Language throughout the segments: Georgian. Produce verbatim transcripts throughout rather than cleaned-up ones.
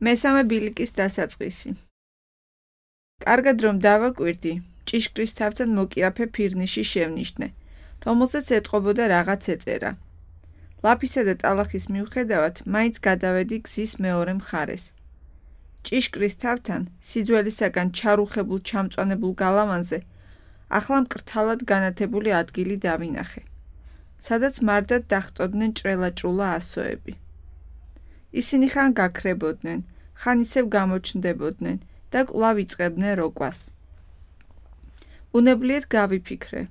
მესამე ბილიკის დასაწყისი. კარგად რომ დავაკვირდი, ჭიშკრის თავთან მოკიაფე ფირნიში შევნიშნე, რომელზეც ეტყობოდა რაღაც ეწერა. ლაფისა და ტალახის მიუხედავად, მაინც გადავედი გზის მეორე მხარეს. ჭიშკრის თავთან, სიძველისაგან ჩარუხებულ ჩამწვანებულ გალავანზე, ახლა მკრთალად განათებული ადგილი დავინახე, სადაც მარდად დახტოდნენ ჭრელა-ჭრულა ასოები. ისინი ხან გაქრებოდნენ, ხან ისევ გამოჩნდებოდნენ და კვლავ იწყებდნენ როკვას. უნებლიეთ გავიფიქრე.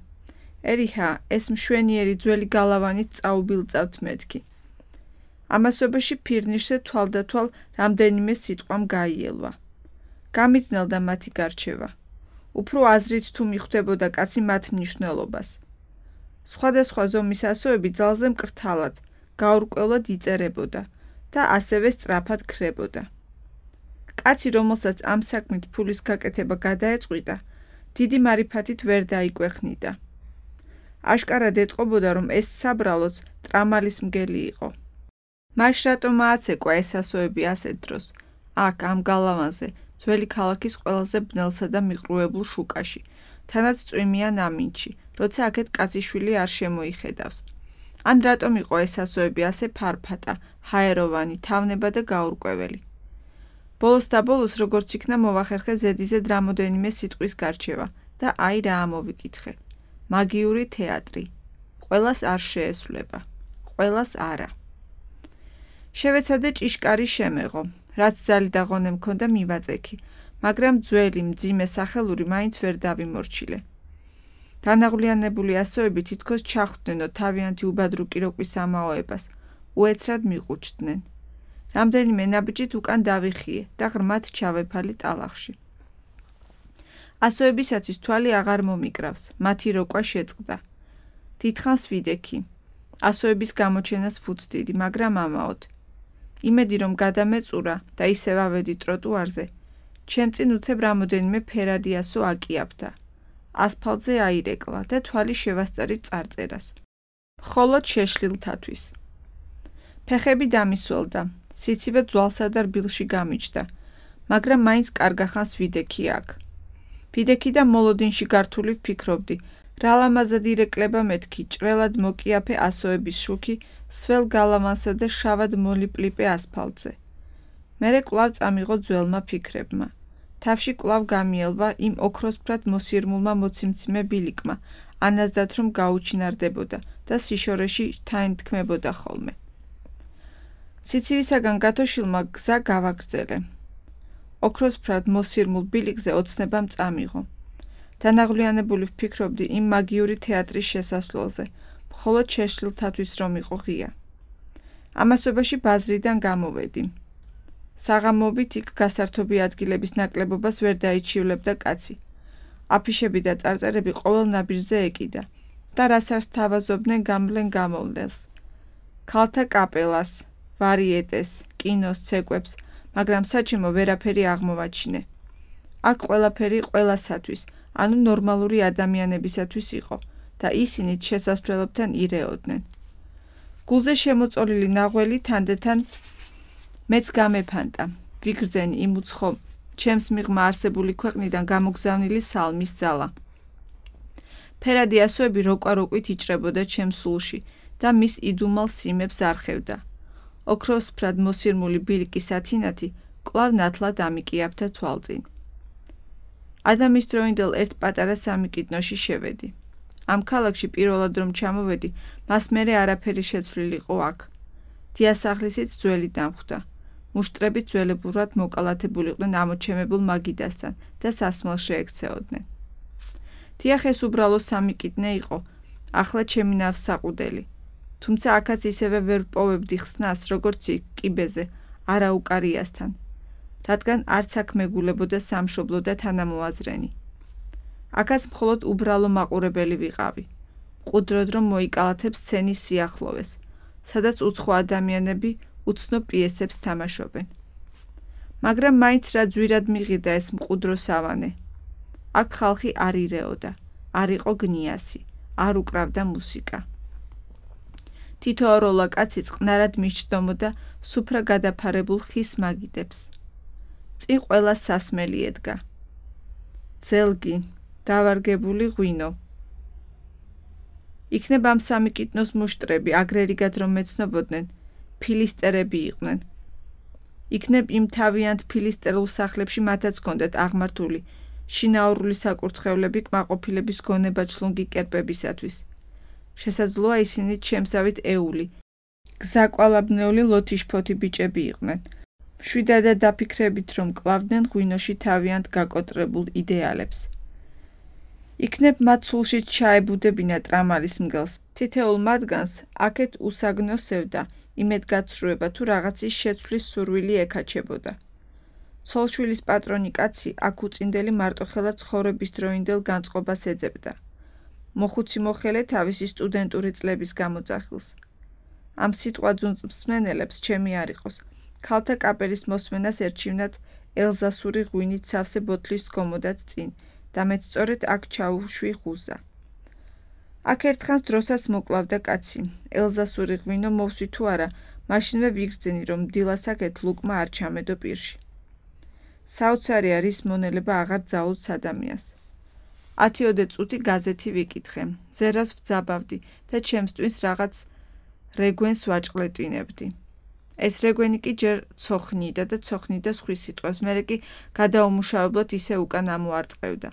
ერიჰა, ეს მშვენიერი ძველი გალავანით წაუბილწავთ მეთქი. ამასობაში ფირნიშზე თვალდათვალ რამდენიმე სიტყვამ გაიელვა. გამიძნელდა მათი გარჩევა. უფრო აზრით თუ მიხვდებოდა კაცი მათ მნიშვნელობას. სხვადასხვა ზომის ასოები ძალზე მკრთალად, გაურკვევლად იწერებოდა და ასევე სწრაფად ქრებოდა. კაცი, რომელსაც ამ საქმით ფულის გაკეთება გადაეწყვიტა, დიდი მარიფათით ვერ დაიკვეხნიდა. აშკარად ეტყობოდა, რომ ეს საბრალოც ტრამალის მგელი იყო. მაშ რატომ ააცეკვა ეს ასოები ასეთ დროს, აქ ამ გალავანზე, ძველი ქალაქის ყველაზე ბნელსა და მიყრუებულ შუკაში, თანაც წვიმიან ამინდში, როცა აქეთ კაციშვილი არ შემოიხედავს. ან რატომ იყო ეს ასოები ასე ფარფატა, ჰაეროვანი, თავნება და გაურკვეველი. ბოლოს და ბოლოს როგორც იქნა მოვახერხე ზედიზედ რამოდენიმე სიტყვის გარჩევა და აი რა ამოვიკითხე. მაგიური თეატრი. ყველას არ შეესვლება. ყველას არა. შევეცადე ჭიშკარი შემეღო, რაც ძალი და ღონე მქონდა მივაწექი, მაგრამ ძველი მძიმე სახელური მაინც ვერ დავიმორჩილე. დანაღვლიანებული ასოები თითქოს ჩახვდნენო თავიანთი უბადრუკი როკვის ამაოებას, უეცრად მიყუჩდნენ. რამდენიმე ნაბიჯით უკან დავიხიე და ღრმად ჩავეფალი ტალახში. ასოებისათვის თვალი აღარ მომიკრავს, მათი როკვა შეწყდა. დიდხანს ვიდექი. ასოების გამოჩენას ვუცდიდი, მაგრამ ამაოდ. იმედი რომ გადამეწურა და ისევ ავედი ტროტუარზე, ჩემ წინ უცებ რამოდენიმე ფერადი ასო აკიაფდა. ასფალტზე აირეკლა და თვალი შევასწარი წარწერას. მხოლოდ შეშლილთათვის. ფეხები დამისველდა, სიცივე ძვალსა და რბილში გამიჯდა, მაგრამ მაინც კარგახანს ვიდექი აქ. ვიდექი და მოლოდინში გართული ვფიქრობდი, რა ლამაზად ირეკლება მეთქი ჭრელად მოკიაფე ასოების შუქი სველ გალავანსა და შავად მოლიპლიპე ასფალტზე. მერე კვლავ წამიღო ძველმა ფიქრებმა. თავში კვლავ გამიელვა იმ ოქროსფრად მოსირმულმა მოციმციმე ბილიკმა, ანაზდათ რომ გაუჩინარდებოდა და სიშორეში თანთქმებოდა ხოლმე. სიცივისაგან გათოშილმა გზა გავაგრძელე. ოქროსფრად მოსირმულ ბილიკზე ოცნებამ წამიღო. დანაღვლიანებული ვფიქრობდი იმ მაგიური თეატრის შესასვლელზე, მხოლოდ შეშლილთათვის რომ იყო ღია. ამასობაში ბაზრიდან გამოვედი. საღამოობით იქ გასართობი ადგილების ნაკლებობას ვერ დაიჩივლებდა კაცი. აფიშები და წარწერები ყოველ ნაბიჯზე ეკიდა და რას არს თავაზობდნენ გამლენ გამოვლენს. ქალთა კაპელას, ვარიეტეს, კინოს, ცეკვებს, მაგრამ საჩემო ვერაფერი აღმოვაჩინე. აქ ყველაფერი ყველასათვის, ანუ ნორმალური ადამიანებისათვის იყო და ისინიც შესასვლელებთან ირეოდნენ. გულზე შემოწოლილი ნაღველი თანდათან მეც გამეფანტა, ვიგრძენი იმ უცხო, ჩემს მიღმა არსებული ქვეყნიდან გამოგზავნილი სალმის ძალა. ფერადი ასოები როკვა-როკვით იჭრებოდა ჩემს სულში და მის იდუმალ სიმებს არხევდა. ოქროსფრად მოსირმული ბილიკის ათინათი კვლავ ნათლად ამიკიაფთა თვალწინ. ადამის დროინდელ ერთ პატარა სამიკიდნოში შევედი. ამ ქალაქში პირველად რომ ჩამოვედი, მას მერე არაფერი შეცვლილიყო აქ. დიასახლისით ძველი დამხვდა. მუშტრებით ძველებურად მოკალათებულიყვნენ ამოჩემებულ მაგიდასთან და სასმელს შეექცეოდნენ. დიახ, ეს უბრალო სამიკიდნე იყო, ახლა ჩემი ნავსაყუდელი. თუმცა აქაც ისევე ვერ ვპოვებდი ხსნას, როგორც იქ კიბეზე, არაუკარიასთან, რადგან არც აქ მეგულებოდა სამშობლო და თანამოაზრენი. აქაც მხოლოდ უბრალო მაყურებელი ვიყავი. მყუდროდ რომ მოიკალათებ სცენის სიახლოვეს, სადაც უცხო ადამიანები უცნო პიესებს თამაშობენ. მაგრამ მაინც რა ძვირად მიყიდა ეს მყუდრო სავანე. აქ ხალხი არ ირეოდა, არ იყო გნიასი, არ უკრავდა მუსიკა. თითო ოროლა კაცი წყნარად მისჯდომოდა სუფრა გადაფარებულ ხის მაგიდებს. წინ ყველა სასმელი ედგა. ძელგი, დავარგებული ღვინო. იქნებ ამ სამი კიტნოს მუშტრები, აგრერიგად რომ მეცნობოდნენ, ფილისტერები იყვნენ. იქნებ იმ თავიანთ ფილისტერულ სახლებში მათაც ჰქონდათ აღმართული შინაურული საკურთხევლები კმაყოფილების გონება ჩლუნგი კერპებისათვის. შესაძლოა ისინი შემსავით ეული, გზაკვალაბნეული ლოთიშფოთი ბიჭები იყვნენ. მშვიდადად დაფიქრებით, რომ კლავდნენ ღვინოში თავიანთ გაკოტრებულ იდეალებს. იქნებ მათ სულშიც ჩაებუდებინა ტრამალის მგელს. თითეულ მათგანს აქეთ უსაგნო სევდა, იმედგაცრუება თუ რაღაცის შეცვლის სურვილი ეკაჩებოდა. ცოლშვილის პატრონი კაცი აქ უწინდელი მარტოხელად ცხოვრების დროინდელ განწყობას ეძებდა. მოხუცი მოხელე თავისი სტუდენტური წლების გამოძახილს. ამ სიტყვა ძუნწ მსმენელებს ჩემი არ იყოს, ქალთა კაპელის მოსმენას ერჩივნათ ელზასური ღვინით სავსე ბოთლის დგომოდათ წინ და მეც სწორედ აქ ჩაუშვი ღუზა. აქ ერთხანს დროსაც მოკლავდა კაცი. ელზასური ღვინო მოვსვი თუ არა, მაშინვე ვიგრძენი, რომ დილას აქეთ ლუკმა არ ჩამედო პირში. საოცარია, რის მონელება აღარ ძალუძს ადამიანს. ათიოდე წუთი გაზეთი ვიკითხე, ზერას ვძაბავდი და ჩემს ტვინს რაღაც რეგვენს ვაჭყლეტვინებდი. ეს რეგვენი კი ჯერ ცოხნიდა და ცოხნიდა სხვის სიტყვებს, მერე კი გადაუმუშავებლად ისე უკან ამოარწყევდა.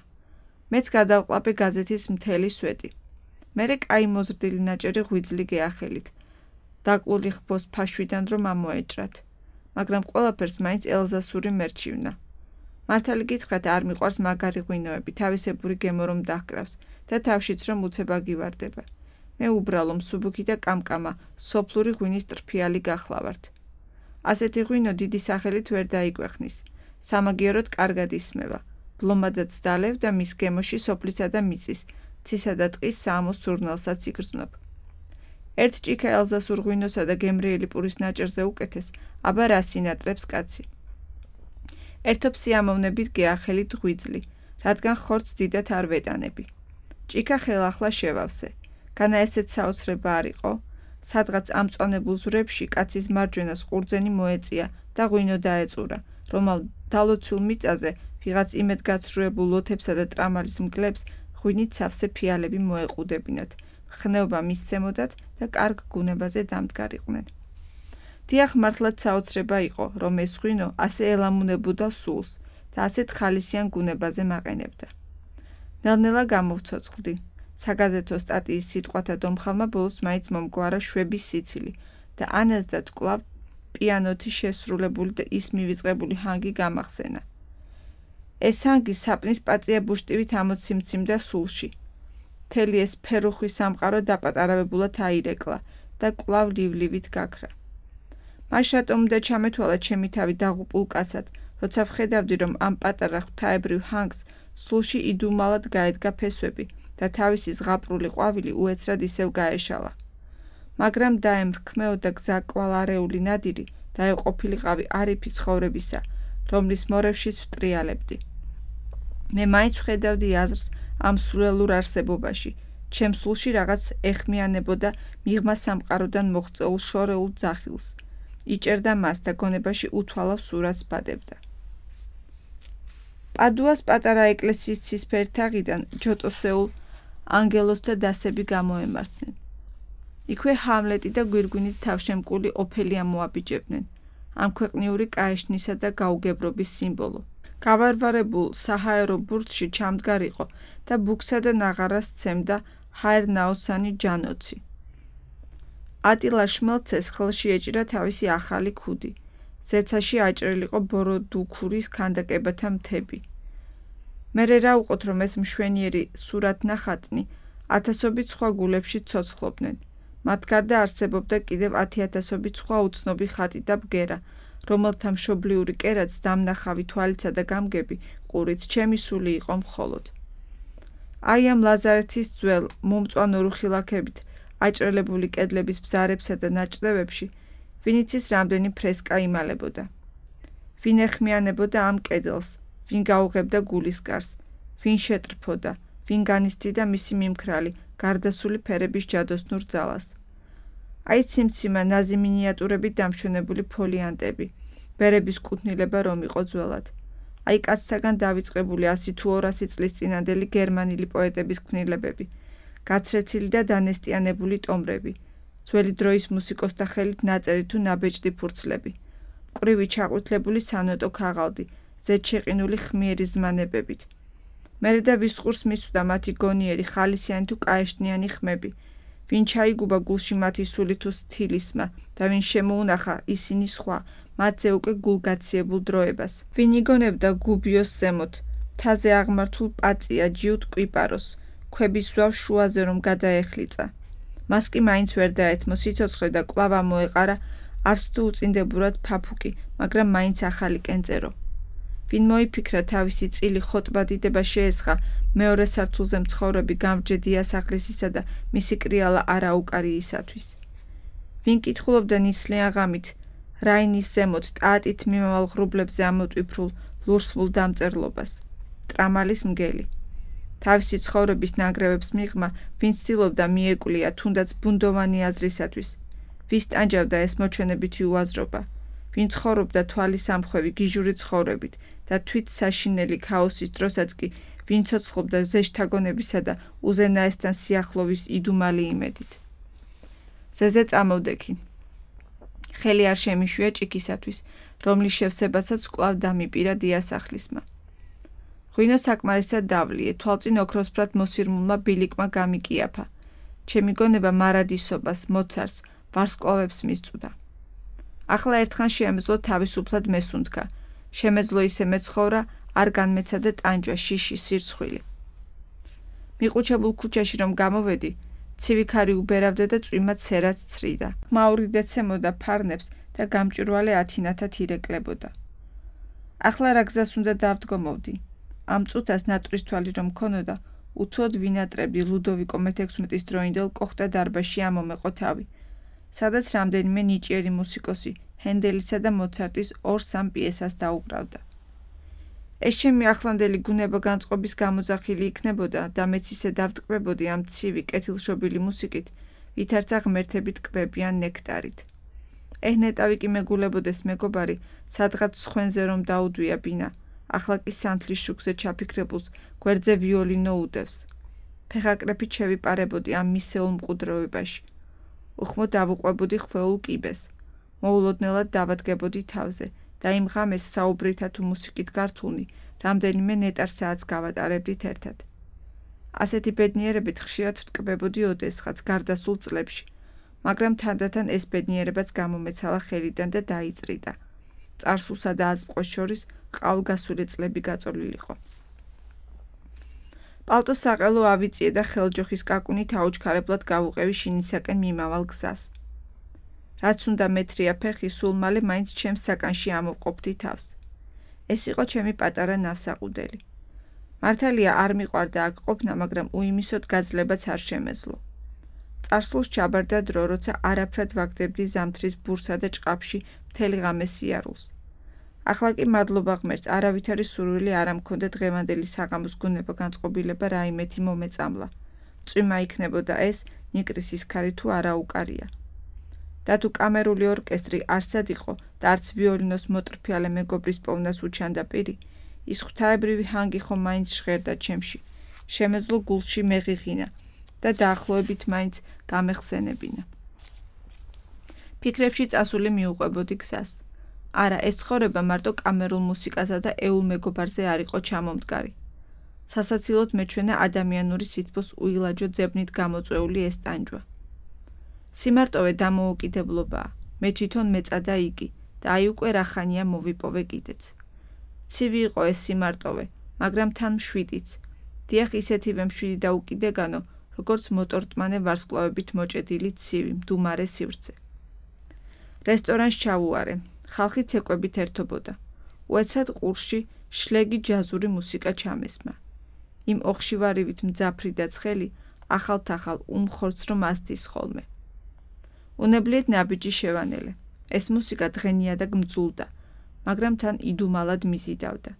მეც გადავყლაპე გაზეთის მთელი სვეტი. მერე კაი მოზრდილი ნაჭერი ღვიძლი გეახელით. დაკლული ხბოს ფაშვიდან რომ ამოეჭრათ. მაგრამ ყველაფერს მაინც ელზასური მერჩივნა. მართალი გითხრათ, არ მიყვარს მაგარი ღვინოები, თავისებური გემო რომ დაჰკრავს და თავშიც რომ უცება გივარდება. მე უბრალო მსუბუქი და კამკამა, სოფლური ღვინის ტრფიალი გახლავართ. ასეთი ღვინო დიდი სახელით ვერ დაიკვეხნის. სამაგიეროდ კარგად ისმევა. ბლომადაც დალევ და მის გემოში სოფლისა და მიწის, ცისა და ტყის საამოს სურნელსაც იგრძნობ. ერთ ჭიქა ელზასურ ღვინოსა და გემრიელი პურის ნაჭერზე უკეთეს, აბა რა სინატრებს კაცი. ერთობ სიამოვნებით გეახელით ღვიძლი, რადგან ხორცს დიდად არ ვეტანები. ჭიქა ხელახლა შევავსე. განა ესეც საოცრება არ იყო? სადღაც ამწვანებულ ზვრებში კაცის მარჯვენას ყურძენი მოეწია და ღვინო დაეწურა, რომალ დალოცულ მიწაზე ვიღაც იმედგაცრუებულ ლოთებსა და ტრამალის მგლებს ღვინით სავსე ფიალები მოეყუდებინათ, ხნეობა მისცემოდათ და კარგ გუნებაზე დამდგარიყვნენ. დიახ, მართლაც საოცრება იყო, რომ ეს ღვინო ასე ელამუნებოდა სულს და ასეთ ხალისიან გუნებაზე მაყენებდა. ნელ-ნელა გამოვცოცხლდი. საგაზეთო სტატიის სიტყვათა დომხალმა ბოლოს მაინც მომგვარა შვების სიცილი და ანაზდათ კვლავ პიანოთი შესრულებული და ის მივიწყებული ჰანგი გამახსენა. ეს ჰანგი საპნის პაწია ბუშტივით ამოციმციმდა სულში. მთელი ეს ფერუხვის სამყარო დაპატარავებულად აირეკლა და კვლავ ლივლივით გაქრა. მაშ რატომ უნდა ჩამეთვალა ჩემი თავი დაღუპულ კაცად, როცა ვხედავდი, რომ ამ პატარა ღვთაებრივ ჰანგს სულში იდუმალად გაედგა ფესვები და თავისი ზღაპრული ყვავილი უეცრად ისევ გაეშალა. მაგრამ დაემრქმეოდა გზაკვალარეული ნადირი და ეყოფილიყავი არიფი ცხოვრებისა, რომლის მორევშიც ვტრიალებდი. მე მაინც ვხედავდი აზრს ამ სრულელურ არსებობაში, ჩემ სულში რაღაც ეხმიანებოდა მიღმა სამყაროდან მოღწეულ შორეულ ძახილს. იჭერდა მას და გონებაში უთვალავ სურათს ბადებდა. პადუას პატარა ეკლესიის ცისფერ თაღიდან ჯოტოსეულ ანგელოს და დასები გამოემართნენ. იქვე ჰამლეტი და გვირგვინით თავშემკული ოფელია მოაბიჯებდნენ, ამ ქვეყნიური კაეშნისა და გაუგებრობის სიმბოლო. გავარვარებულ საჰაერო ბურთში ჩამდგარიყო და ბუქსა და ნაღარას სცემდა ჰაერნაოსანი ჯანოცი. ატილა შმელცეს ხელში ეჭირა თავისი ახალი ქუდი. ზეცაში აჭრილიყო ბოროდუქურის ქანდაკებათა მთები. მერე რა უყოთ, რომ ეს მშვენიერი სურათნახატნი ათასობით სხვა გულებში ცოცხლობდნენ. მათ გარდა არსებობდა კიდევ ათიათასობით სხვა უცნობი ხატი და ბგერა, რომელთა მშობლიური კერაც, დამნახავი თვალიცა და გამგები ყურიც ჩემი სული იყო მხოლოდ. აი ამ ლაზარეთის ძველ მომწვანო რუხილაქებით აჭრელებული კედლების ბზარებსა და ნაჭრევებში ვინიც ის რამდენი ფრესკა იმალებოდა. ვინ ეხმიანებოდა ამ კედელს, ვინ გაუღებდა გულისკარს, ვინ შეტრფოდა, ვინ განიცდიდა მისი მიმქრალი, გარდასული ფერების ჯადოსნურ ძალას. აი ციმციმა ნაზი მინიატურებით დამშვენებული ფოლიანტები, ბერების კუთვნილება რომ იყო ძველად. აი კაცთაგან დავიწყებული ასი თუ ორასი წლის წინანდელი გერმანელი პოეტების ქმნილებები, გაცრეცილი და დანესტიანებული ტომრები, ძველი დროის მუსიკოსთა ხელით ნაწერი თუ ნაბეჭდი ფურცლები, მკვრივი ჩაყვითლებული სანოტო ქაღალდი, ზედშეყინული ხმიერი ზმანებებით. მერე და ვისყურს მისვდა მათი გონიერი ხალისიანი თუ კაეშნიანი ხმები, ვინ ჩაიგუბა გულში მათი სული თუ სტილისმა და ვინ შემოუნახა ისინი სხვა, მათზე უკვე გულგაციებულ დროებას. ვინ იგონებდა გუბიოს ზემოთ, მთაზე აღმართულ პაწია ჯიუტ კვიპაროს, ქვების ზვავ შუაზე რომ გადაეხლიცა. მას კი მაინც ვერ დაეთმო სიცოცხლე და კვლავ ამოეყარა არც თუ უწინდებურად ფაფუკი, მაგრამ მაინც ახალი კენწერო. ვინ მოიფიქრა თავისი წილი ხოტბადიდება შეესხა მეორე სართულზე მცხოვრები გამრჯე დიასახლისისა და მისი კრიალა არაუკარიისათვის. ვინ კითხულობდა ნისლიან ღამით რაინის ზემოთ ტაატით მიმავალ ღრუბლებზე ამოტვიფრულ ლურსმულ დამწერლობას, ტრამალის მგელი. თავისი ცხოვრების ნანგრევებს მიღმა, ვინ ცდილობდა მიეკვლია თუნდაც ბუნდოვანი აზრისათვის, ვის ტანჯავდა ეს მოჩვენებითი უაზრობა, ვინ ცხოვრობდა თვალის ამხვევი გიჟური ცხოვრებით და თვით საშინელი ქაოსის დროსაც კი ვინ ცოცხლობდა ზეშთაგონებისა და უზენაესთან სიახლოვის იდუმალი იმედით. ზეზე წამოვდექი. ხელი არ შემიშვია ჭიქისათვის, რომლის შევსებასაც კვლავ დამიპირა დიასახლისმა. ღვინო საკმარისად დავლიე, თვალწინ ოქროსფრად მოსირმულმა ბილიკმა გამიკიაფა. ჩემი გონება მარადისობას, მოცარს, ვარსკვლავებს მისწვდა. ახლა ერთხან შეემეძლო თავისუფლად მესუნთქა. შემეძლო ისე მეცხოვრა, არ განმეცადა ტანჯვა, შიში, სირცხვილი. მიყუჩებულ ქუჩაში რომ გამოვედი, ცივი ქარი უბერავდა და წვიმა ცერაც ცრიდა. ხმაური დეცემოდა ფარნებს და გამჭვირვალე ათინათად ირეკლებოდა. ახლა რა გზას უნდა დავდგომოვდი? ამ წუთას ნატურის თვალი რომ მქონოდა, უთუოდ ვინატრებდი ლუდოვიკო მეთექვსმეტის დროინდელ კოხტა დარბაზში ამომეყო თავი, სადაც რამდენიმე ნიჭიერი მუსიკოსი ჰენდელისა და მოცარტის ორ-სამ პიესას დაუკრავდა. ეს ჩემი ახლანდელი გუნება განწყობის გამოძახილი იქნებოდა და მეც ისე დავტკბებოდი ამ ცივი კეთილშობილი მუსიკით, ვითარცა ღმერთები ტკბებიან ნექტარით. ეჰ ნეტავი კი მეგულებოდეს მეგობარი, სადღაც სხვენზე რომ დაუდვია ბინა, ახლა კი სანთლის შუქზე ჩაფიქრებულს გვერდზე ვიოლინო უდევს. ფეხაკრეფით შევიპარებოდი ამ მისეულ მყუდროებაში. უხმო დავუყვებოდი ხვეულ კიბეს. მოულოდნელად დავადგებოდი თავზე და იმ ღამეს საუბრითა თუ მუსიკით გართულნი, რამდენიმე ნეტარ საათს გავატარებდით ერთად. ასეთი ბედნიერებით ხშირად ვტკბებოდი ოდესღაც გარდასულ წლებში, მაგრამ თანდათან ეს ბედნიერებაც გამომეცალა ხელიდან და დაიწრიდა. წარსულსა და აწმყოს შორის ყაოლგასული წლები გაწოლილიყო. პალტოს საყელო ავიწიე და ხელჯოხის კაკუნით აუჩქარებლად გავუყევი შინისაკენ მიმავალ გზას. რაც უნდა მეტრია ფეხი, სულ მალე მაინც ჩემს საკანში ამოვყოფდი თავს. ეს იყო ჩემი პატარა ნავსაყუდელი. მართალია არ მიყვარდა აქ ყოფნა, მაგრამ უიმისოდ გაძლებაც არ შემეძლო. წარსულს ჩაბარდა დრო, როცა არაფრად ვაგდებდი ზამთრის ბურსა და ჭყაფში მთელი ღამე სიარულს. ახლა კი მადლობა ღმერთს, არავითარი სურვილი არ ამქონდა დღევანდელი საღამოს გუნება განწყობილება რაიმეთი მომეწამლა. წვიმა იქნებოდა ეს, ნიკრისის ქარი თუ არაუკარია. და თუ კამერული ორკესტრი არსად იყო და არც ვიოლინოს მოტრფიალე მეგობრის პოვნას უჩანდა პირი, ის ღვთაებრივი ჰანგი ხომ მაინც ჟღერდა ჩემში, შემეძლო გულში მეღიღინა და დაახლოებით მაინც გამეხსენებინა. ფიქრებში წასული მიუყვებოდი გზას. არა, ეს ცხოვრება მარტო კამერულ მუსიკასა და ეულ მეგობარზე არ იყო ჩამომდგარი. სასაცილოდ მეჩვენა ადამიანური სითბოს უილაჯო ძებნით გამოწვეული ეს ტანჯვა. სიმარტოვე დამოუკიდებლობაა, მე თვითონ მეწადა იგი და აი უკვე რახანია მოვიპოვე კიდეც. ცივი იყო ეს სიმარტოვე, მაგრამ თან მშვიდიც. დიახ, ისეთივე მშვიდი და უკიდეგანო, როგორც მოტორტმანე ვარსკვლავებით მოჭედილი ცივი, მდუმარე სივრცე. რესტორანს ჩავუარე, ხალხი ცეკვებით ერთობოდა. უეცად ყურში შლეგი ჯაზური მუსიკა ჩამესმა. იმ ოხშივარივით მძაფრი და ცხელი, ახალ-თახალ უმხორცრ რომ ასდის ხოლმე. უნებლიეთ ნაბიჯი შევანელე. ეს მუსიკა დღენია და გმძულდა, მაგრამ თან იდუმალად მიზიდავდა.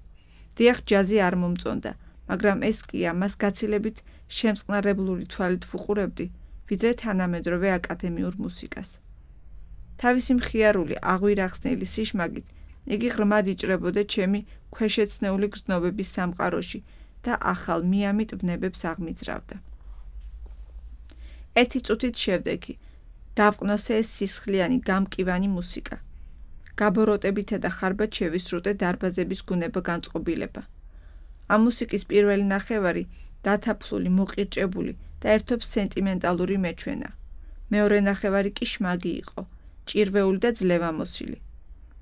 დიახ, ჯაზი არ მომწონდა, მაგრამ ეს კი ამას გაცილებით შემწყნარებლური თვალით ვუყურებდი, ვიდრე თანამედროვე აკადემიურ მუსიკას. თავისი მხიარული, აღვირახსნელი სიშმაგით იგი ღრმად იჭრებოდა ჩემი ქვეშეცნეული გრძნობების სამყაროში და ახალ მიამიტ ვნებებს აღმიძრავდა. ერთი წუთით შევდეგი, დავყნოსე ეს სისხლიანი გამკივანი მუსიკა. გაბოროტებითა და ხარბად შევისრუტე დარბაზების გუნება განწყობილება. ამ მუსიკის პირველი ნახევარი დათაფლული, მოყირჭებული და ერთობ სენტიმენტალური მეჩვენა. მეორე ნახევარი კი შმაგი იყო, ჭირვეული და ძლევამოსილი.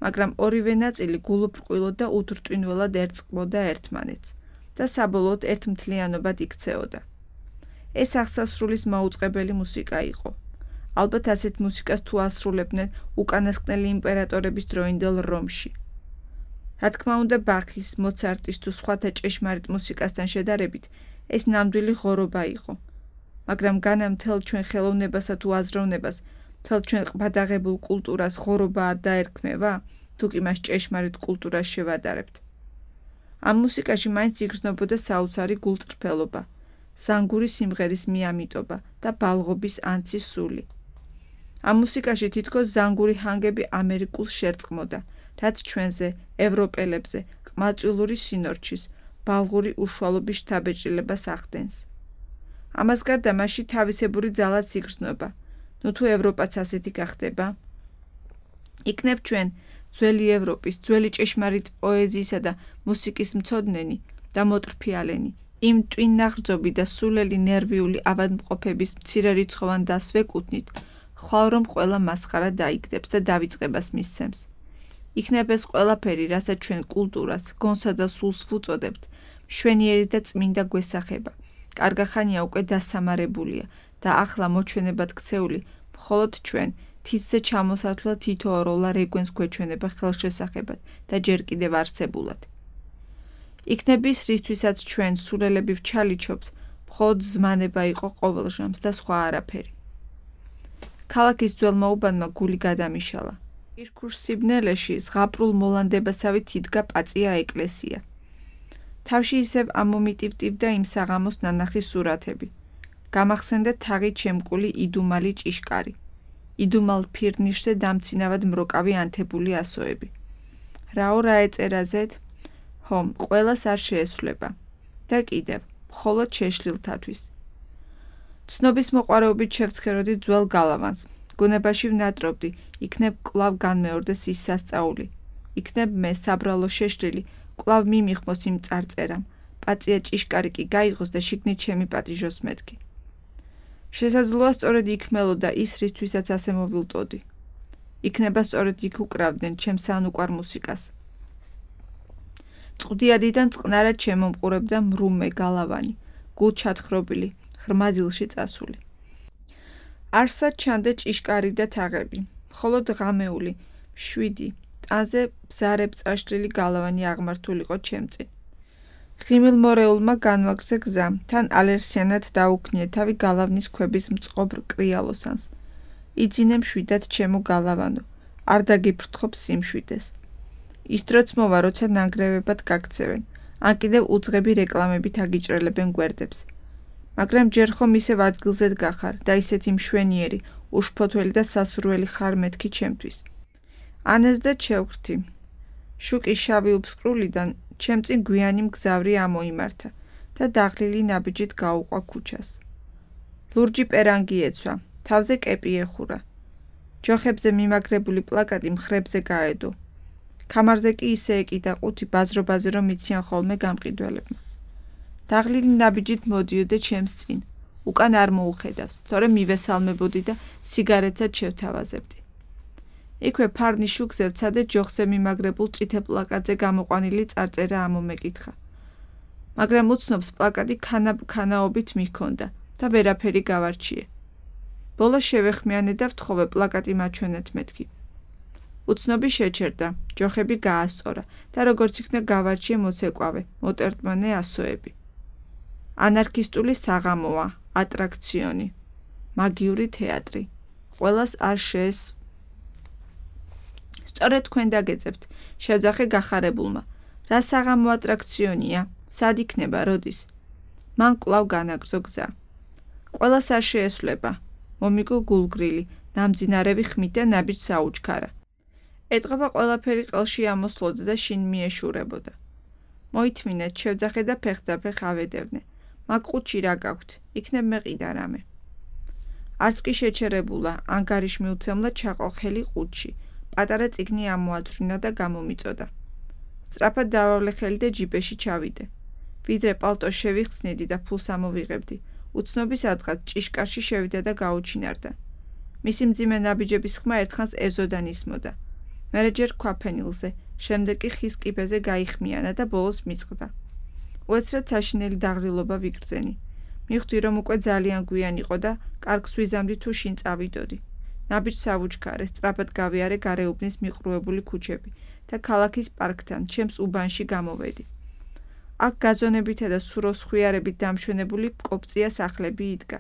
მაგრამ ორივე ნაწილი გულუბრყვილო და უდრტვინველად ერწყმოდა ერთმანეთს და საბოლოოდ ერთმთლიანობად იქცეოდა. ეს აღსასრულის მაუწყებელი მუსიკა იყო. ალბათ ასეთ მუსიკას თუ ასრულებდნენ უკანასკნელი იმპერატორების დროინდელ რომში. რა თქმა უნდა, ბახის, მოცარტის თუ სხვათა ჭეშმარიტ მუსიკასთან შედარებით ეს ნამდვილი ღორობა იყო. მაგრამ განა მთელ ჩვენ ხელოვნებასა თუ აზროვნებას, მთელ ჩვენ ყბადაღებულ კულტურას ღორობა არ დაერქმევა, თუ კი მას ჭეშმარიტ კულტურას შევადარებთ. ამ მუსიკაში მაინც იგრძნობოდა საოცარი გულწრფელობა, სანგური სიმღერის მიამიტობა და ბალღობის ანცის სული. ამ მუსიკაში თითქოს ზანგური ჰანგები ამერიკულს შერწყმოდა, რაც ჩვენზე, ევროპელებზე, ყმაწვილური სინორჩის, ბალღური უშუალობის შთაბეჭდილებას ახდენს. ამას გარდა მასში თავისებური ძალაც იგრძნობა, ნუ თუ ევროპაც ასეთი გახდება. იქნებ ჩვენ, ძველი ევროპის, ძველი ჭეშმარიტ პოეზიისა და მუსიკის მცოდნენი და მოტრფიალენი, იმ ტვინაღრძობი და სულელი ნერვიული ავადმყოფების მცირერიცხოვან დასს ვეკუთვნით, ხვალ რომ ყველა მასხარა დაიგდებს და დავიწყებას მისცემს. იქნებ ეს ყველაფერი, რასაც ჩვენ კულტურას, გონსა და სულს ვუწოდებთ, მშვენიერი და წმინდა გვესახება, კარგახანია უკვე დასამარებულია და ახლა მოჩვენებად ქცეული, მხოლოდ ჩვენ, თითზე ჩამოსათვლა თითოეულა რეგვენს გვეჩვენება ხელშესახებად და ჯერ კიდევ არსებულად. იქნებ ის, რისთვისაც ჩვენ სულელები ვჩალიჩობთ, მხოლოდ ზმანება იყო ყოველჟამს და სხვა არაფერი. ქალაქის ძველმა უბანმა გული გადამიშალა. ირქუშ სიბნელეში ზღაპრულ მოლანდებასავით იდგა პაწია ეკლესია. თავში ისევ ამომიტივტივდა იმ საღამოს ნანახის სურათები. გამახსენდა თაღით შემკული იდუმალი ჭიშკარი. იდუმალ ფირნიშზე დამცინავად მროკავი ანთებული ასოები. რაო რა ეწერაზეთ? ჰომ, ყველას არ შეესვლება. და კიდევ, მხოლოდ შეშლილთათვის. ცნობის მოყვარეობით შევცხეროდი ძველ გალავანს. გუნებაში ვნატრობდი, იქნებ კვლავ განმეორდეს ის სასწაული. იქნებ მე საბრალო შეშლილი, კვლავ მიმიხმოს იმ წარწერამ. პაწია ჭიშკარი კი გაიღოს და შიგნით შემიპატიჟოს მეთქი. შესაძლოა სწორედ იქ მელოდა ის, რისთვისაც ასე მოვილტოდი. იქნება სწორედ იქ უკრავდნენ ჩემს ანუკვარ მუსიკას. წყდიადიდან წყნარად შემომყურებდა მრუმე გალავანი, გულ ჩათხრობილი, ღრმა დილში წასული. არსად ჩანდა ჭიშკარი და თაღები, მხოლოდ ღამეული, მშვიდი, ტანზე ბზარებ წაშლილი გალავანი აღმართულიყო ჩემწინ. ღიმილმორეულმა განვაგზა გზა, თან ალერსიანად დაუქნია თავი გალავნის ქვების მწყობრ კრიალოსანს. იძინე მშვიდად ჩემო გალავანო, არ დაგიფრთხობ სიმშვიდეს. ის დროც მოვა, როცა ნანგრევებად გაქცევენ, ან კიდევ უძღები რეკლამებით აგიჭრელებენ გვერდებს. მაგრამ ჯერ ხომ ისევ ადგილზედ გახარ და ისეთი მშვენიერი, უშფოთველი და სასურველი ხარ მეთქი ჩემთვის. ანეს და შევხრთი. შუკი შავი უბსკრულიდან ჩემწინ გვიანი მგზავრი ამოიმართა და დაღლილი ნაბიჯით გაუყვა ქუჩას. ლურჯი პერანგი ეცვა, თავზე კეპი ეხურა. ჯოხებზე მიმაგრებული პლაკატი მხრებზე გაედო. კამარზე კი ისე ეკიდა ყუთი ბაზრობაზე, რომ იციან ხოლმე გამყიდველებმა. დაღლილი ნაბიჯით მოდიოდა ჩემს წინ, უკან არ მოუხედავს, თორემ მივესალმებოდი და სიგარეტსაც შევთავაზებდი. იქვე ფარნის შუქზე ვცადე ჯოხზე მიმაგრებულ წითელ პლაკატზე გამოყვანილი წარწერა ამომეკითხა. მაგრამ უცნობს პლაკატი ქანა-ქანაობით მიქონდა და ვერაფერი გავარჩიე. ბოლოს შევეხმიანე და ვთხოვე პლაკატი მაჩვენეთ მეთქი. უცნობი შეჩერდა, ჯოხები გაასწორა და როგორც იქნა გავარჩიე მოცეკვავე, მოტერტმანე ასოები. ანარქისტული საღამოა, ატრაქციონი, მაგიური თეატრი. ყველას არ შეეს. სწორედ თქვენ დაგეძებთ, შევძახე გახარებულმა. რა საღამო ატრაქციონია? სად იქნება, როდის? მან კვლავ განაგრძო გზა. ყველას არ შეესვლება. მომიგო გულგრილი, ნამძინარევი ხმით და ნაბიჯ საუჩქარა. ეტყობა ყველაფერი ყელში ამოსლოდა და შინ მიეშურებოდა. მოითმინეთ, შევძახე და ფეხდაფეხ ავედევნე. მაგ ყუთში რა გაქვთ? იქნებ მეყიდა რამე. არც კი შეჩერებულა, ანგარიშ მიუცემლა ჩაყოხელი ყუთში. პატარა წიგნი ამოათვრინა და გამომიწოდა. სწრაფად დავავლე ხელი და ჯიბეში ჩავიდე. ვიდრე პალტოს შევიხსნიდი და ფულს ამოვიღებდი, უცნობის ადგად ჭიშკარში შევიდა და გაუჩინარდა. მისი მძიმე ნაბიჯების ხმა ერთხანს ეზოდან ისმოდა. მერე ჯერ ქვაფენილზე, შემდეგ კი ხის კიბეზე გაიხმიანა და ბოლოს მიწყდა. უეცრად საშინელი დაღრილობა ვიგრძენი. მივხვდი, რომ უკვე ძალიან გვიან იყო და კარგს ვიზამდი თუ შინ წავიდოდი. ნაბიჯს ავუჩქარე, სწრაფად გავიარე გარეუბნის მიყრუებული ქუჩები და ქალაქის პარკთან, ჩემს უბანში გამოვედი. აქ გაზონებითა და სუროსხვიარებით დამშვენებული კოპწია სახლები იდგა.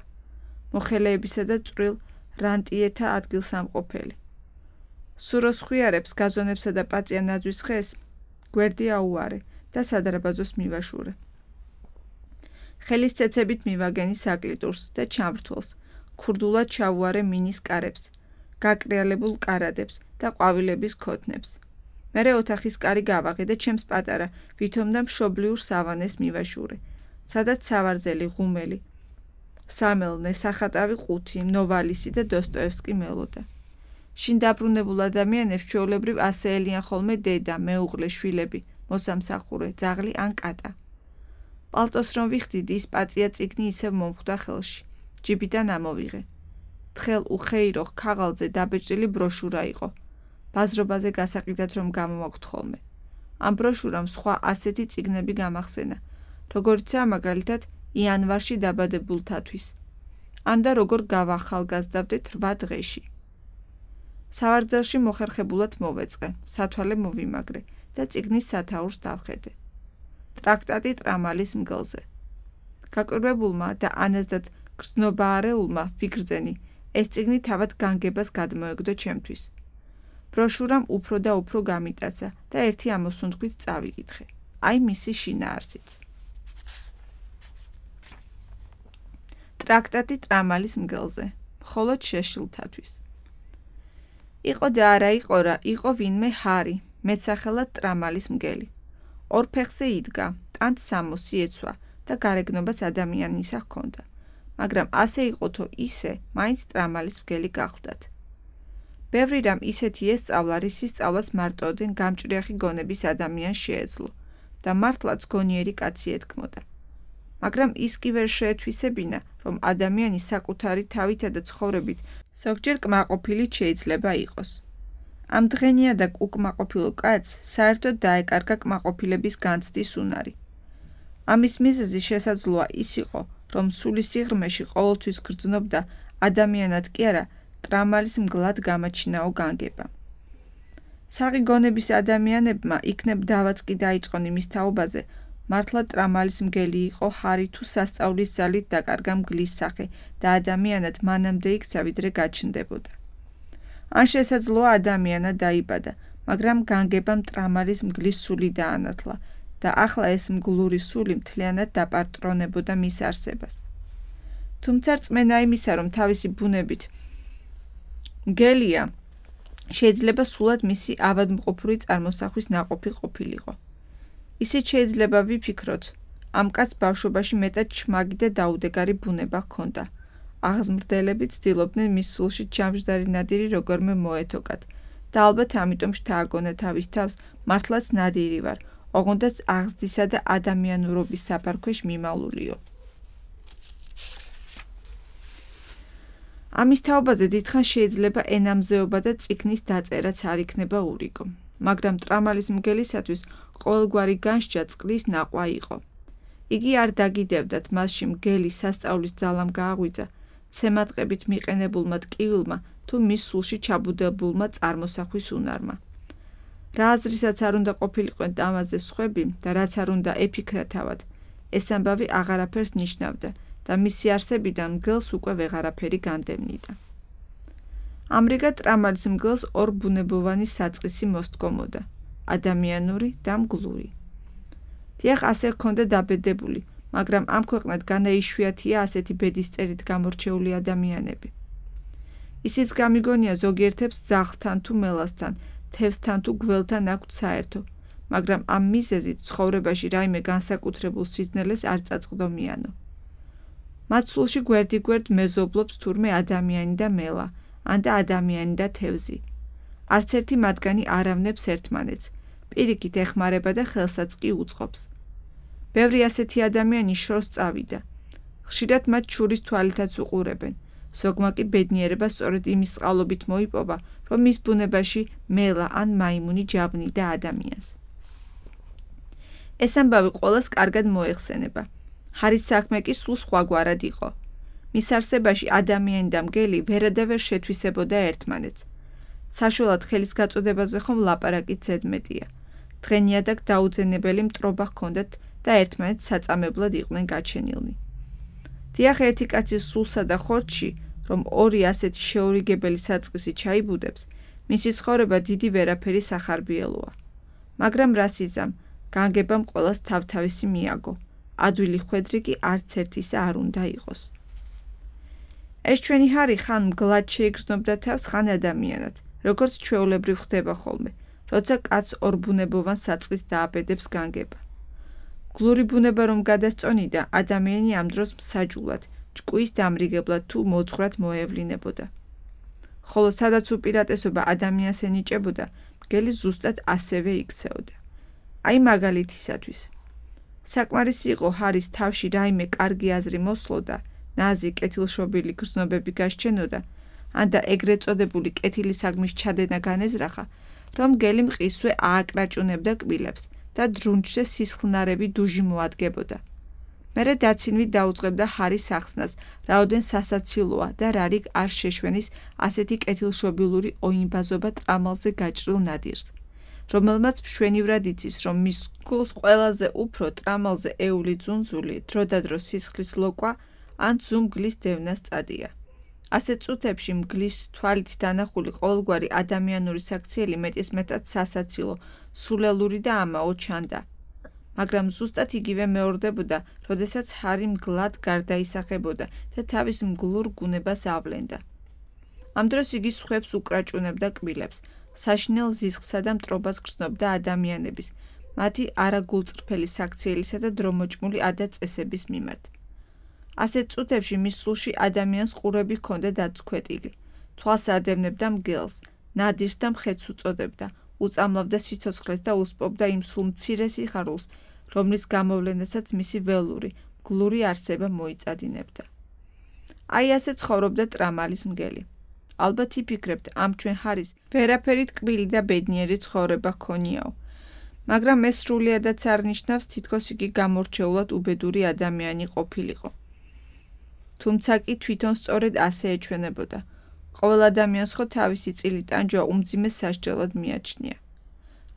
მოხელეებისა და წვრილ რანტიეთა ადგილსამყოფელი. სუროსხვიარებს, გაზონებსა და პაწია ნაძვის ხეს გვერდი აუარე და სადარბაზოს მივაშურე. ხელის ცეცებით მივაგენი საკლიტურს და ჩამრთველს, ქურდულად ჩავუარე მინის კარებს, გაკრიალებულ კარადებს და ყვავილების ქოთნებს. მერე ოთახის კარი გავაღე და ჩემს პატარა, ვითომ და მშობლიურ სავანეს მივაშურე, სადაც სავარძელი, ღუმელი, სამელნე, სახატავი ყუთი, ნოვალისი და დოსტოევსკი მელოდა. შინ დაბრუნებულ ადამიანებს ჩვეულებრივ ასე ელიან ხოლმე დედა, მეუღლე, შვილები, მოსამსახურე, ძაღლი ან კატა. პალტოს რომ ვიხდიდი, ის პაწია წიგნი ისევ მომხვდა ხელში. ჯიბიდან ამოვიღე. თხელ უხეირო ქაღალდზე დაბეჭდილი ბროშურა იყო. ბაზრობაზე გასაყიდად რომ გამომაგვთ ხოლმე. ამ ბროშურამ სხვა ასეთი წიგნები გამახსენა, როგორიცაა მაგალითად იანვარში დაბადებულთათვის. ან და როგორ გავახალგაზრდავდეთ რვა დღეში. სავარძელში მოხერხებულად მოვეწყე, სათვალე მოვიმაგრე და წიგნის სათაურს დავხედე. ტრაქტატი ტრამალის მგელზე. გაკვირვებულმა და ანაზდად გრძნობაარეულმა ვიგრძენი, ეს წიგნი თავად განგებას გადმოეგდო ჩემთვის. ბროშურამ უფრო და უფრო გამიტაცა და ერთი ამოსუნთქვით წავიკითხე. აი მისი შინაარსიც. ტრაქტატი ტრამალის მგელზე, მხოლოდ შეშლილთათვის. იყო და არა იყო რა, იყო ვინმე ჰარი, მეტსახელად ტრამალის მგელი. ორ ფეხზე იდგა, ტანთ სამოსი ეცვა და გარეგნობას ადამიანისა ჰქონდა, მაგრამ ასე იყოთო ისე, მაინც ტრამალის მგელი გახლდათ. ბევრი რამ ისეთი ესწავლა, რისი სწავლას მარტოდენ გამჭრიახი გონების ადამიანს შეეძლო და მართლაც გონიერი კაცი ეთქმოდა. მაგრამ ის კი ვერ შეეთვისებინა, რომ ადამიანი საკუთარი თავითა და ცხოვრებით ზოგჯერ კმაყოფილი შეიძლება იყოს. ამ დღენიადა უკმაყოფილო კაცს საერთოდ დაეკარგა კმაყოფილების განცდის უნარი. ამის მიზეზი შესაძლოა ის იყო, რომ სულის სიღრმეში ყოველთვის გრძნობდა ადამიანად კი არა, ტრამალის მგლად გამაჩინაო განგება. საღი გონების ადამიანებმა იქნებ დავაც კი დაიწყონ იმის თაობაზე, მართლა ტრამალის მგელი იყო ჰარი თუ სასწავლის ძალით დაკარგა მგლის სახე და ადამიანად მანამდე იქცა ვიდრე გაჩნდებოდა. ან შესაძლოა ადამიანად დაიბადა, მაგრამ განგებამ ტრამალის მგლის სული დაანათლა და ახლა ეს მგლური სული მთლიანად დაპატრონებოდა მის არსებას. თუმცა რწმენა იმისა, რომ თავისი ბუნებით მგელია, შეიძლება სულად მისი ავადმყოფური წარმოსახვის ნაყოფი ყოფილიყო. ისიც შეიძლება ვიფიქროთ, ამ კაცს ბავშვობაში მეტად ჩმაგი და დაუდეგარი ბუნება ჰქონდა. აღზმრდელები ცდილობდნენ მის სულში ჩამჯდარი ნადირი როგორმე მოეთოკათ და ალბათ ამიტომ შთააგონა თავის თავს, მართლაც ნადირი ვარ, ოღონდაც აღზრდისა და ადამიანურობის საფარქვეშ მიმალულიო. ამის თაობაზე დიდხანს შეიძლება ენამზეობა და წიგნის დაწერაც არ იქნება ურიგო, მაგრამ ტრამალის მგელისათვის ყოველგვარი განსჯა წყლის ნაყვა იყო. იგი არ დაგიდევდათ მასში მგელი სასწავლის ძალამ გააღვიძა, ცემატყებით მიყენებულმა ტკივილმა თუ მის სულში ჩაბუდებულმა წარმოსახვის უნარმა. რა აზრისაც არ უნდა ყოფილიყვენ ამაზე სხვები და რაც არ უნდა ეფიქრა თავად, ეს ამბავი აღარაფერს ნიშნავდა და მისი არსებიდან მგელს უკვე ვეღარაფერი განდევნიდა. ამრიგად ტრამალის მგელს ორ ბუნებოვანი საწყისი მოსდგომოდა, ადამიანური და მგლური. დიახ, ასე ჰქონდა დაბედებული, მაგრამ ამ ქვეყნად განაიშვიათია ასეთი ბედისწერით გამორჩეული ადამიანები. ისიც გამიგონია ზოგიერთებს ძაღლთან თუ მელასთან თევზთან თუ გველთან აქვთ საერთო, მაგრამ ამ მიზეზით ცხოვრებაში რაიმე განსაკუთრებულ სიზნელეს არ წაწყდომიანო. მათ სულში გვერდიგვერდ მეზობლობს თურმე ადამიანი და მელა, ან და ადამიანი და თევზი. არც ერთი მათგანი არ ავნებს ერთმანეთს, პირიქით ეხმარება და ხელსაც კი უწყობს. ბევრი ასეთი ადამიანი შორს წავიდა. ხშირად მათ შურის თვალითაც უყურებენ, ზოგმა კი ბედნიერება სწორედ იმის წყალობით მოიპოვა, რომ მის ბუნებაში მელა ან მაიმუნი ჯაბნიდა ადამიანს. ეს ამბავი ყველას კარგად მოეხსენება. ჰარის საქმე კი სულ სხვაგვარად იყო. მის არსებაში ადამიანი და მგელი ვერადავერ შეთვისებოდა ერთმანეთს. საშუალად ხელის გაწოდებაზე ხომ ლაპარაკით ზედმეტია. დღენიადაგ დაუძენებელი მტრობა ჰქონდათ და ერთმანეთს საწამებლად იყვნენ გაჩენილნი. დიახ, ერთი კაცის სულსა და ხორცში, რომ ორი ასეთი შეურიგებელი საწყისი ჩაიბუდებს, მისი ცხოვრება დიდი ვერაფერი სახარბიელოა. მაგრამ რას იზამ, განგებამ ყველას თავთავისი მიაგო. ადვილი ხვედრი კი არც ერთისა არ უნდა იყოს. ეს ჩვენი ჰარი ხან მგლად შეიგრძნობდა თავს, ხან ადამიანად, როგორც ჩვეულებრივ ხდება ხოლმე, როცა კაცს ორბუნებოვან საწყის დააბედებს განგება. გლური ბუნება რომ გადასწონიდა, ადამიანი ამ დროს მსაჯულად, ჭკუის დამრიგებლად თუ მოძღვრად მოევლინებოდა. ხოლო სადაც უპირატესობა ადამიანს ენიჭებოდა, მგელი ზუსტად ასევე იქცეოდა. აი მაგალითისათვის. საკმარისი იყო ჰარის თავში რაიმე კარგი აზრი მოსლოდა, ნაზი კეთილშობილი გრძნობები გასჩენოდა, ან და ეგრეთ წოდებული კეთილისაგმის ჩადენა განეზრახა, რომ მგელი მყისვე ააკრაჭუნებდა კბილებს და დრუნჩზე სისხლნარევი დუჟი მოადგებოდა. მერე დაცინვით დაუწყებდა ჰარის ახსნას, რაოდენ სასაცილოა და რა რიგ არ შეშვენის ასეთი კეთილშობილური ოინბაზობა ტრამალზე გაჭრილ ნადირს, რომელმაც მშვენივრად იცის, რომ მის გულს ყველაზე უფრო ტრამალზე ეული ძუნძული, დროდადრო სისხლის ლოკვა ან ძუმ-გლის დევნას წადია. ასეთ წუთებში მგლის თვალით დანახული ყოველგვარი ადამიანური საქციელი მეტისმეტად სასაცილო, სულელური და ამაო ჩანდა. მაგრამ ზუსტად იგივე მეორდებოდა, როდესაც ჰარი მგლად გარდაისახებოდა და თავის მგლურ გუნებას ავლენდა. ამ დროს იგი სხვებს უკრაჭუნებდა კბილებს, საშინელ ზისხსა და მტრობას გრძნობდა ადამიანების, მათი არაგულწრფელი საქციელისა და დრომოჭმული ადაწესების მიმართ. ასეთ წუთებში მის სულში ადამიანს ყურები ჰქონდა დაცქვეტილი, თვალს ადევნებდა მგელს, ნადირს და მხეთს უწოდებდა, უწამლავდა სიცოცხლეს და უსპობდა იმ სულ მცირე სიხარულს, რომლის გამოვლენასაც მისი ველური, მგლური არსება მოიწადინებდა. აი ასე ცხოვრობდა ტრამალის მგელი. ალბათ იფიქრებთ, ამ ჩვენ ჰარის ვერაფერი ტკბილი და ბედნიერი ცხოვრება ჰქონიაო. მაგრამ ეს სრულიადაც არ ნიშნავს, თითქოს იგი გამორჩეულად უბედური ადამიანი ყოფილიყო. თუმცა კი თვითონ სწორედ ასე ეჩვენებოდა. ყოველ ადამიანს ხო თავისი წილი ტანჯვა უმძიმე სასჯელად მიაჩნია.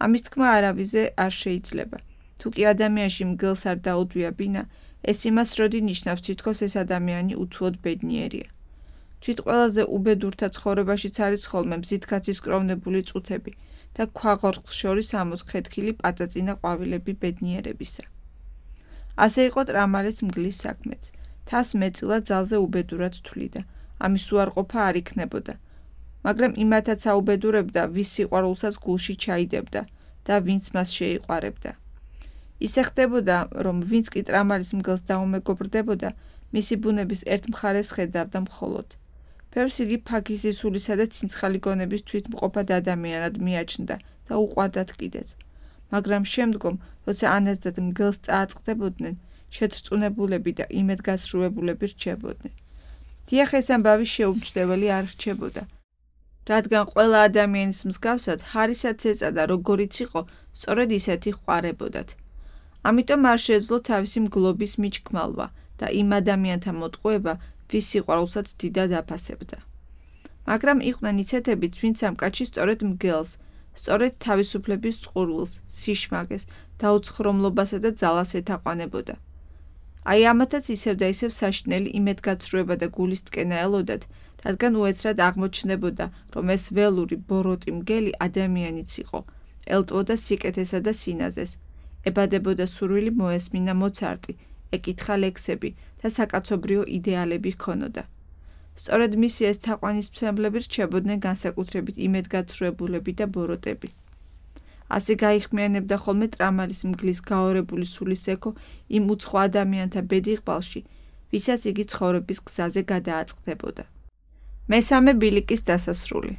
ამის თქმა არავიზე არ შეიძლება. თუ კი ადამიანში მგელს არ დაუდვია ბინა, ეს იმას როდი ნიშნავს, თითქოს ეს ადამიანი უთუოდ ბედნიერია. თვით ყველაზე უბედურთა ცხოვრებაშიც არის ხოლმე მზითქაცის კროვნებული წუთები და ქვაღორღს შორის ამოთხეთქილი პაწაწინა ყვავილები ბედნიერებისა. ასე იყო ტრამალის მგლის საქმეც. თავს მეწილა ძალზე უბედურად თვლიდა, ამის უარყოფა არ იქნებოდა. მაგრამ იმათაც აუბედურებდა, ვის სიყვარულსაც გულში ჩაიდებდა და ვინც მას შეიყვარებდა. ისე ხდებოდა, რომ ვინც კი ტრამალის მგელს დაუმეგობრდებოდა, მისი ბუნების ერთ მხარეს ხედავდა მხოლოდ. ბევრს იგი ფაქი სისულისა და ცინცხალი გონების თვითმყოფად ადამიანად მიაჩნდა და უყვარდათ კიდეც. მაგრამ შემდგომ, როცა ანაზდად მგელს წააწყდებოდნენ, შეტრწუნებულები და იმედგაცრუებულები რჩებოდნენ. დიახ, ეს ამბავი შეუმჩნეველი არ რჩებოდა. რადგან ყველა ადამიანის მსგავსად, ჰარისაც ეწადა, როგორიც იყო, სწორედ ისეთი ჰყარებოდათ. ამიტომ არ შეეძლო თავისი მგლობის მიჩქმალვა და იმ ადამიანთა მოტყუება, ვის სიყვარულსაც დიდად აფასებდა. მაგრამ იყვნენ ისეთებიც, ვინც ამ კაცში სწორედ მგელს, სწორედ თავისუფლების წყურვილს, სიშმაგეს, დაუცხრომლობასა და ძალას ეთაყვანებოდა. აი ამათაც ისევ და ისევ საშინელი იმედგაცრუება და გულის ტკენა ელოდათ, რადგან უეცრად აღმოჩნდებოდა, რომ ეს ველური ბოროტი მგელი ადამიანიც იყო, ელტვოდა სიკეთესა და სინაზეს, ებადებოდა სურვილი მოესმინა მოცარტი, ეკითხა ლექსები და საკაცობრიო იდეალები ჰქონოდა. სწორედ მისი ეს თაყვანისმცემლები რჩებოდნენ განსაკუთრებით იმედგაცრუებულები და ბოროტები. ასე გაიხმიანებდა ხოლმე ტრამალის მგლის გაორებული სულის ექო იმ უცხო ადამიანთა ბედიღბალში, ვისაც იგი ცხოვრების გზაზე გადააწყდებოდა. მესამე ბილიკის დასასრული.